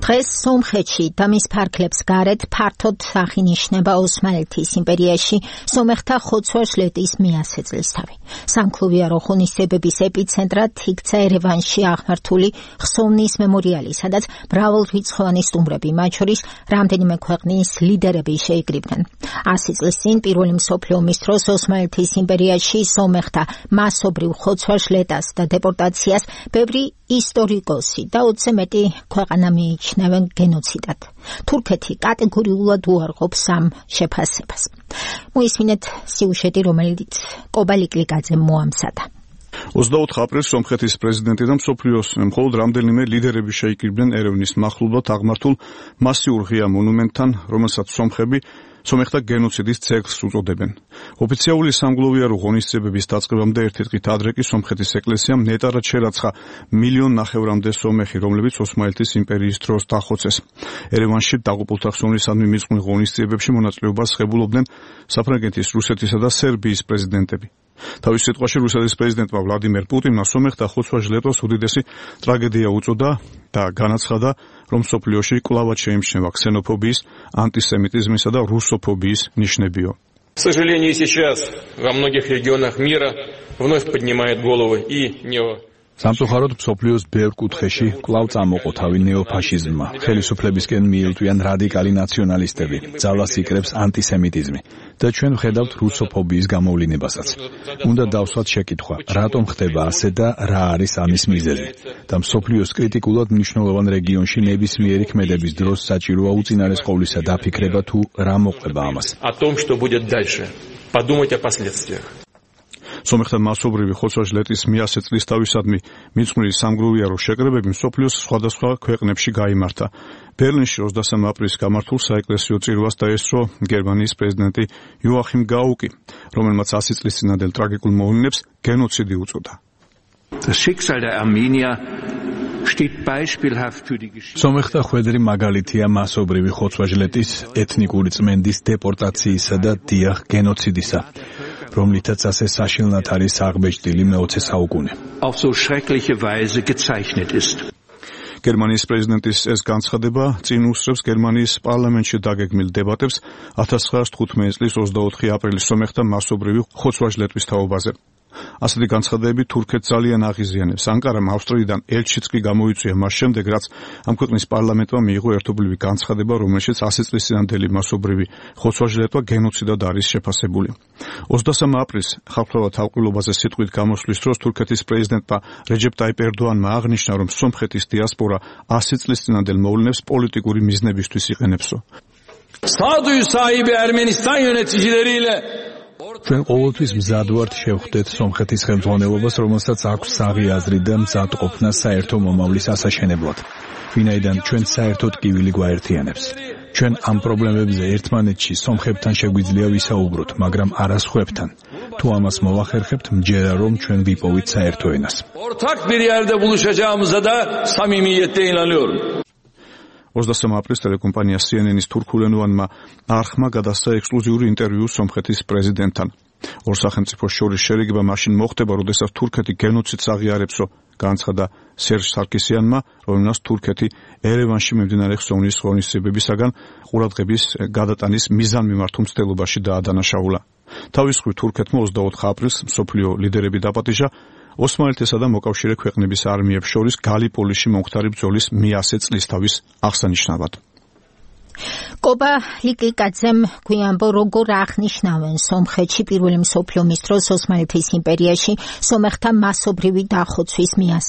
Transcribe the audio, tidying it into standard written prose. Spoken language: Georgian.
დღეს სომხეთში და მის ფარგლებს გარეთ ფართოდ აღინიშნება ოსმალეთის იმპერიაში სომეხთა ხოცვა-ჟლეტის მიასე წლისთავი. სამკლუბიარო ღონისძიებების ეპიცენტრად იქცა ერევანში აღმართული ხსოვნის მემორიალი, სადაც მრავალრიცხოვანი სტუმრები, მათ შორის რამდენიმე ქვეყნის ლიდერები შეიკრიბნენ. 100 წლის წინ პირველი მსოფლიო ომის დროს ოსმალეთის იმპერიაში სომეხთა მასობრივ ხოცვა-ჟლეტას და დეპორტაციას ბევრი ისტორიკოსი და 20-ზე მეტი ქვეყანა მიიჩნევენ გენოციდად. თურქეთი კატეგორიულად უარყოფს ამ შეფასებას. მოისმინეთ სიუჟეტი, რომელიც კობა ლიკლიკაძემ მოამზადა. 24 აპრილს სომხეთის პრეზიდენტი და მსოფლიოს მხოლოდ რამდენიმე ლიდერები შეიკრიბნენ ერევნის მახლობლად აღმართულ მასიურ ღია მონუმენტთან, რომელსაც სომეხთა გენოციდის ძეგლს უწოდებენ. ოფიციალური სამგლოვიარო ღონისძიებების დაწყებამდე ერთი დღით ადრე კი სომხეთის ეკლესიამ ნეტარად შერაცხა 1,5 მილიონი სომეხი, რომლებიც ოსმალეთის იმპერიის დროს დახოცეს. ერევანში დაღუპულთა ხსოვნისადმი მიწყვნილ ღონისძიებებში მონაწილეობას ღებულობდნენ საფრანგეთის, რუსეთისა და სერბიის პრეზიდენტები. თავის სიტყვაში რუსეთის პრეზიდენტმა ვლადიმერ პუტინმა სომეხთა ხოცვა-ჟლეტოს უდიდესი ტრაგედია უწოდა და განაცხადა, რომ მსოფლიოში კვლავად შეიმჩნევა ქსენოფობიის, ანტისემიტიზმისა და რუსოფობიის ნიშნებიო. К сожалению, сейчас во многих регионах мира вновь поднимает головы и სამწუხაროდ მსოფლიოს ბევრ კუთხეში კვლავ წამოყო თავი ნეოფაშიზმმა. ხელისუფლებისკენ მიილტვიან რადიკალი ნაციონალისტები, ძალას იკრებს ანტისემიტიზმი და ჩვენ ვხედავთ რუსოფობიის გამოვლინებასაც. უნდა დავსვათ შეკითხვა, რატომ ხდება ასე და რა არის ამის მიზეზი? და მსოფლიოს კრიტიკულად მნიშვნელოვან რეგიონში ნებისმიერი ქმედების დროს საჭიროა უწინარეს ყოვლისა დაფიქრება თუ რა მოყვება ამას. О том, что будет дальше. Подумать о последствиях. სომეხთა მასობრივი ხოცვა-ჟლეტის 100 წლისთავისადმი მიწყვნილი სამგლოვიარო შეკრებები მსოფლიოს სხვადასხვა ქვეყნებში გაიმართა. ბერლინში 23 აპრილს გამართულ საეკლესიო წირვას დაესწრო გერმანიის პრეზიდენტი იოახიმ გაუკი, რომელმაც 100 წლის წინანდელ ტრაგიკულ მოვლენებს გენოციდი უწოდა. სომეხთა ხვედრი მაგალითია მასობრივი ხოცვა-ჟლეტის, ეთნიკური წმენდის დეპორტაციისა და დიახ გენოციდისა, რომლითაც ასე საშინლად არის აღბეჭდილი მე-20 საუკუნე. გერმანიის პრეზიდენტის ეს განცხადება წინ უსწრებს გერმანიის პარლამენტში დაგეგმილ დებატებს 1915 წლის 24 აპრილის სომეხთა მასობრივი ხოცვა-ჟლეტვის თაობაზე. ასეთი განცხადებები თურქეთს ძალიან აღიზიანებს. ანკარამ ავსტრიიდან ელჩიც კი გამოიწვია მას შემდეგ, რაც ამ ქვეყნის პარლამენტმა მიიღო ერთობლივი განცხადება, რომელშიც 100 წლის წინანდელი მასობრივი ხოცვა-ჟლეტვა გენოციდად არის შეფასებული. 23 აპრილს ხალხთა თავყვილობაზე სიტყვით გამოსვლის დროს თურქეთის პრეზიდენტმა რეჯეპ ტაიპ ერდოანმა აღნიშნა, რომ სომხეთის დიასპორა 100 წლის წინანდელ მოვლენებს პოლიტიკური მიზნებისთვის იყენებსო. Sağduyu sahibi Ermenistan yöneticileriyle ჩვენ ყოველთვის მზად ვართ შევხვდეთ სომხეთის ხელმძღვანელობას, რომელსაც აქვს საღი აზრი და მზად ყოფნა საერთო მომავლის ასაშენებლად, ვინაიდან ჩვენ საერთოდ კივილი გვაერთიანებს. ჩვენ ამ პრობლემებზე ერთმანეთში სომხებთან შეგვიძლია ვისაუბროთ, მაგრამ არა სხვებთან. თუ ამას მოვახერხებთ, მჯერა რომ ჩვენ ვიპოვით საერთო ენას. ortak bir yerde buluşacağımıza da samimiyetle inanıyorum. 23 აპრილს ტელეკომპანია CNN-ის თურქულენოვანმა არხმა გადასცა ექსკლუზიური ინტერვიუ სომხეთის პრეზიდენტთან. ორ სახელმწიფოს შორის შერიგება მაშინ მოხდება, როდესაც თურქეთი გენოციდს აღიარებსო, განცხადა სერჟ სარკისიანმა, რომელმაც თურქეთი ერევანში მიმდინარე ხსოვნის ღონისძიებებისაგან ყურადღების გადატანის მიზანმიმართ უმცდელობაში დაადანაშაულა. თავის მხრივ თურქეთმა 24 აპრილს მსოფლიო ლიდერები დაპატიჟა ოსმალეთისა და მოკავშირე ქვეყნების არმიებს შორის გალიპოლიში მომხდარი ბრძოლის 100 წლისთავის აღსანიშნავად. კობა ლიკლიკაძემ გვიანბო, როგორ აღნიშნავენ სომხეთში პირველი მსოფლიო ომის დროს ოსმალეთის იმპერიაში სომეხთა მასობრივი დახოცვის 100